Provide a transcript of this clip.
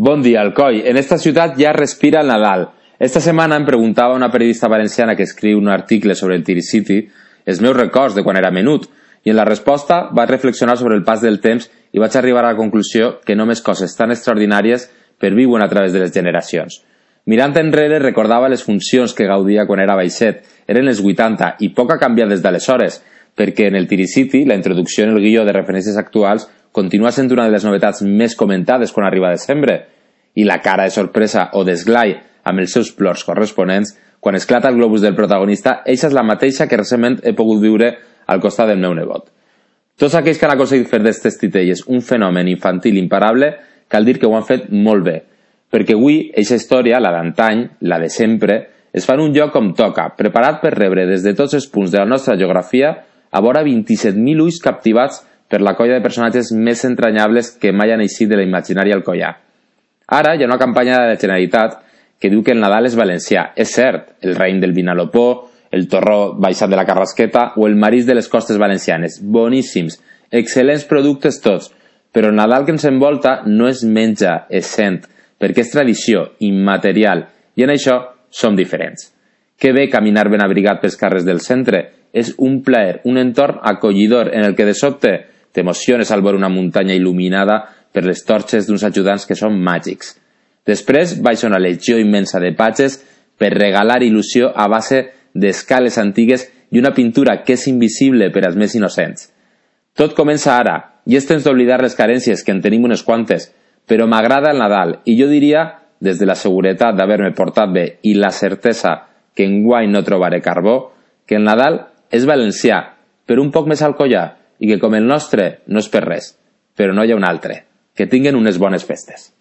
Bon dia, Alcoi. En esta ciutat ja respira el Nadal. Esta setmana em preguntava una periodista valenciana que escriu un article sobre el Tiricity els meus records de quan era menut, i en la resposta vaig reflexionar sobre el pas del temps i vaig arribar a la conclusió que només coses tan extraordinàries perviuen a través de les generacions. Mirant enrere recordava les funcions que gaudia quan era baixet. Eren les 80 i poc ha canviat des d'aleshores, perquè en el Tiricity la introducció en el guió de referències actuals continua sent una de les novetats més comentades quan arriba desembre, i la cara de sorpresa o d'esglai amb els seus plors corresponents quan esclata el globus del protagonista, eixa és la mateixa que recentment he pogut viure al costat del meu nebot. Tots aquells que han aconseguit fer d'estes titelles un fenomen infantil imparable, cal dir que ho han fet molt bé, perquè avui eixa història, la d'antany, la de sempre, es fa en un lloc com toca, preparat per rebre des de tots els punts de la nostra geografia a vora 27.000 ulls captivats per la colla de personatges més entranyables que mai han eixit de l'imaginari alcoià. Ara hi ha una campanya de la Generalitat que diu que el Nadal és valencià. És cert, el raïm del Vinalopó, el torró baixat de la Carrasqueta o el marís de les costes valencianes. Boníssims, excel·lents productes tots, però el Nadal que ens envolta no es menja, es sent, perquè és tradició, immaterial, i en això som diferents. Que bé caminar ben abrigat pels carrers del centre. És un plaer, un entorn acollidor en el que de sobte t'emociones al veure una muntanya il·luminada per les torxes d'uns ajudants que són màgics. Després baixa una legió immensa de patges per regalar il·lusió a base d'escales antigues i una pintura que és invisible per als més innocents. Tot comença ara, i és temps d'oblidar les carències, que en tenim unes quantes, però m'agrada el Nadal, i jo diria, des de la seguretat d'haver-me portat bé i la certesa que enguany no trobaré carbó, que el Nadal és valencià, però un poc més alcoià, i que com el nostre no és per res, però no hi ha un altre. Que tinguen unes bones festes.